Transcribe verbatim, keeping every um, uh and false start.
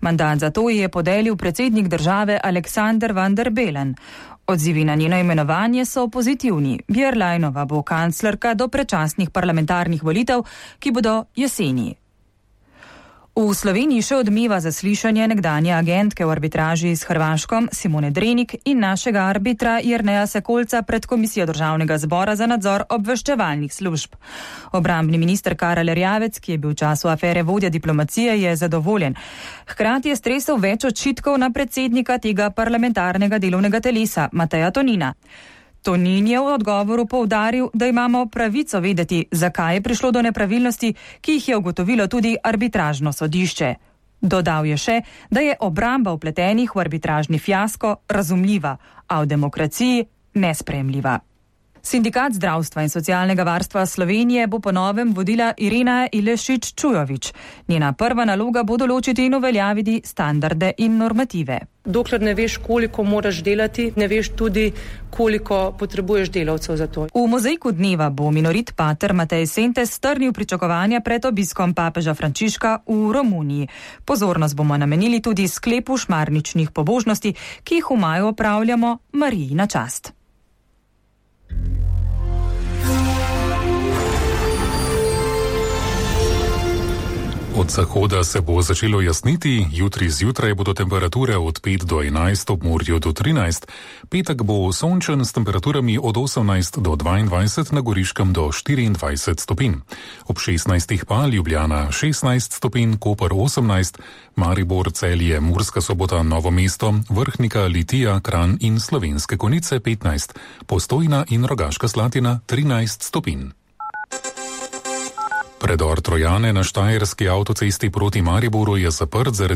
Mandat za to je podelil predsednik države Aleksander Van der Bellen. Odzivi na njeno imenovanje so pozitivni. Bjerlajnova bo kanclerka do predčasnih parlamentarnih volitev, ki bodo jeseni. V Sloveniji še odmeva zaslišanje nekdanje agentke v arbitraži s Hrvaškom Simone Drenik in našega arbitra Jerneja Sekolca pred Komisijo Državnega zbora za nadzor obveščevalnih služb. Obrambni minister Karel Erjavec, ki je bil v času afere vodja diplomacije, je zadovoljen. Hkrati je stresel več očitkov na predsednika tega parlamentarnega delovnega telesa, Mateja Tonina. Tonin je v odgovoru poudaril, da imamo pravico vedeti, zakaj je prišlo do nepravilnosti, ki jih je ugotovilo tudi arbitražno sodišče. Dodal je še, da je obramba vpletenih v arbitražni fiasko razumljiva, a v demokraciji nesprejemljiva. Sindikat zdravstva in socialnega varstva Slovenije bo po novem vodila Irena Ilešič-Čujovič. Njena prva naloga bo določiti in uveljaviti standarde in normative. Dokler ne veš, koliko moraš delati, ne veš tudi, koliko potrebuješ delavcev za to. V mozaiku dneva bo minorit pater Matej Sentes strnil pričakovanja pred obiskom papeža Frančiška v Romuniji. Pozornost bomo namenili tudi sklepu šmarničnih pobožnosti, ki jih v maju opravljamo Mariji na čast. Od zahoda se bo začelo jasniti, jutri zjutraj bodo temperature od pet do enajst, ob morju do trinajst, petek bo sončen s temperaturami od osemnajst do dvaindvajset, na Goriškem do štiriindvajset stopinj. Ob šestnajstih pa Ljubljana šestnajst stopinj, Koper osemnajst, Maribor, Celje, Murska Sobota, Novo mesto, Vrhnika, Litija, Kranj in Slovenske Konjice petnajst, Postojna in Rogaška Slatina trinajst stopinj. Predor Trojane na štajerski avtocesti proti Mariboru je zaprt zaradi